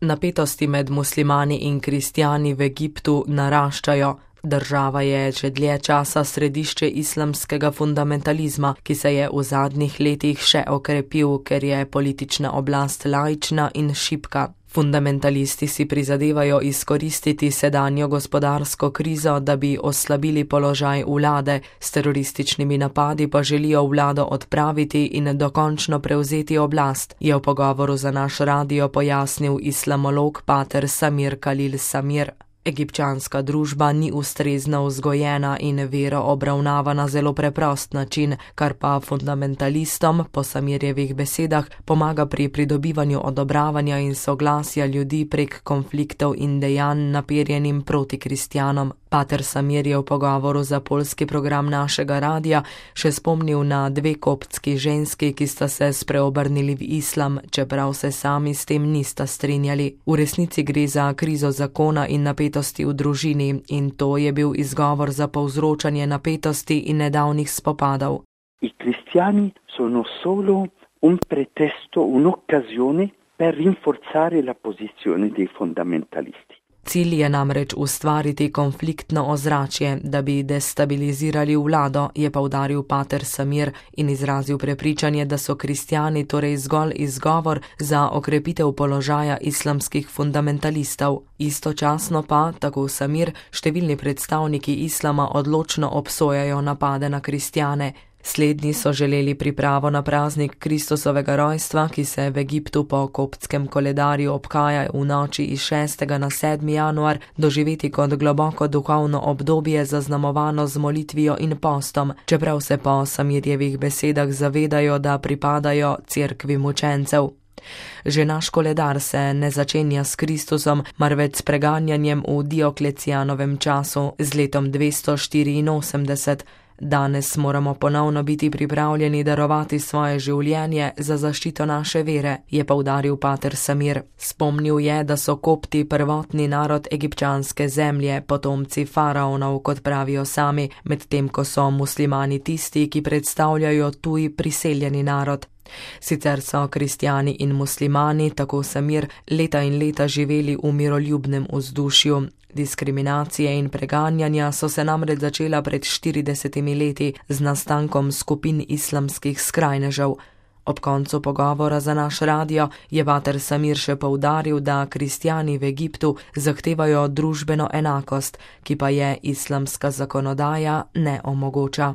Napetosti med muslimani in kristjani v Egiptu naraščajo. Država je že dlje časa središče islamskega fundamentalizma, ki se je v zadnjih letih še okrepil, ker je politična oblast laična in šibka. Fundamentalisti si prizadevajo izkoristiti sedanjo gospodarsko krizo, da bi oslabili položaj vlade, s terorističnimi napadi pa želijo vlado odpraviti in dokončno prevzeti oblast, je v pogovoru za naš radio pojasnil islamolog pater Samir Khalil Samir. Egipčanska družba ni ustrezno vzgojena in vero obravnava na zelo preprost način, kar pa fundamentalistom, po Samirjevih besedah, pomaga pri pridobivanju odobravanja in soglasja ljudi prek konfliktov in dejanj naperjenim proti kristjanom. Pater Samir je v pogovoru za poljski program našega radia še spomnil na 2 koptski ženski, ki sta se spreobrnili v islam, čeprav se sami s tem nista strinjali. V resnici gre za krizo zakona in napetosti v družini in to je bil izgovor za povzročanje napetosti in nedavnih spopadov. I cristiani sono solo un pretesto, un'occasione per rinforzare la posizione dei fondamentalisti. Cilj je namreč ustvariti konfliktno ozračje, da bi destabilizirali vlado, je poudaril pater Samir in izrazil prepričanje, da so kristjani torej zgolj izgovor za okrepitev položaja islamskih fundamentalistov. Istočasno pa, tako Samir, številni predstavniki islama odločno obsojajo napade na kristjane. Slednji so želeli pripravo na praznik Kristusovega rojstva, ki se v Egiptu po koptskem koledarju obhaja v noči iz 6. na 7. januar, doživeti kot globoko duhovno obdobje zaznamovano z molitvijo in postom, čeprav se po Samirjevih besedah zavedajo, da pripadajo cerkvi mučencev. Že naš koledar se ne začenja s Kristusom, marveč s preganjanjem v Dioklecijanovem času z letom 284. Danes moramo ponovno biti pripravljeni darovati svoje življenje za zaščito naše vere, je poudaril pater Samir. Spomnil je, da so kopti prvotni narod egipčanske zemlje, potomci faraonov, kot pravijo sami, medtem ko so muslimani tisti, ki predstavljajo tuj priseljeni narod. Sicer so kristjani in muslimani, tako Samir, leta in leta živeli v miroljubnem vzdušju. Diskriminacije in preganjanja so se namreč začela pred 40 leti z nastankom skupin islamskih skrajnežev. Ob koncu pogovora za naš radio je pater Samir še poudaril, da kristjani v Egiptu zahtevajo družbeno enakost, ki pa je islamska zakonodaja ne omogoča.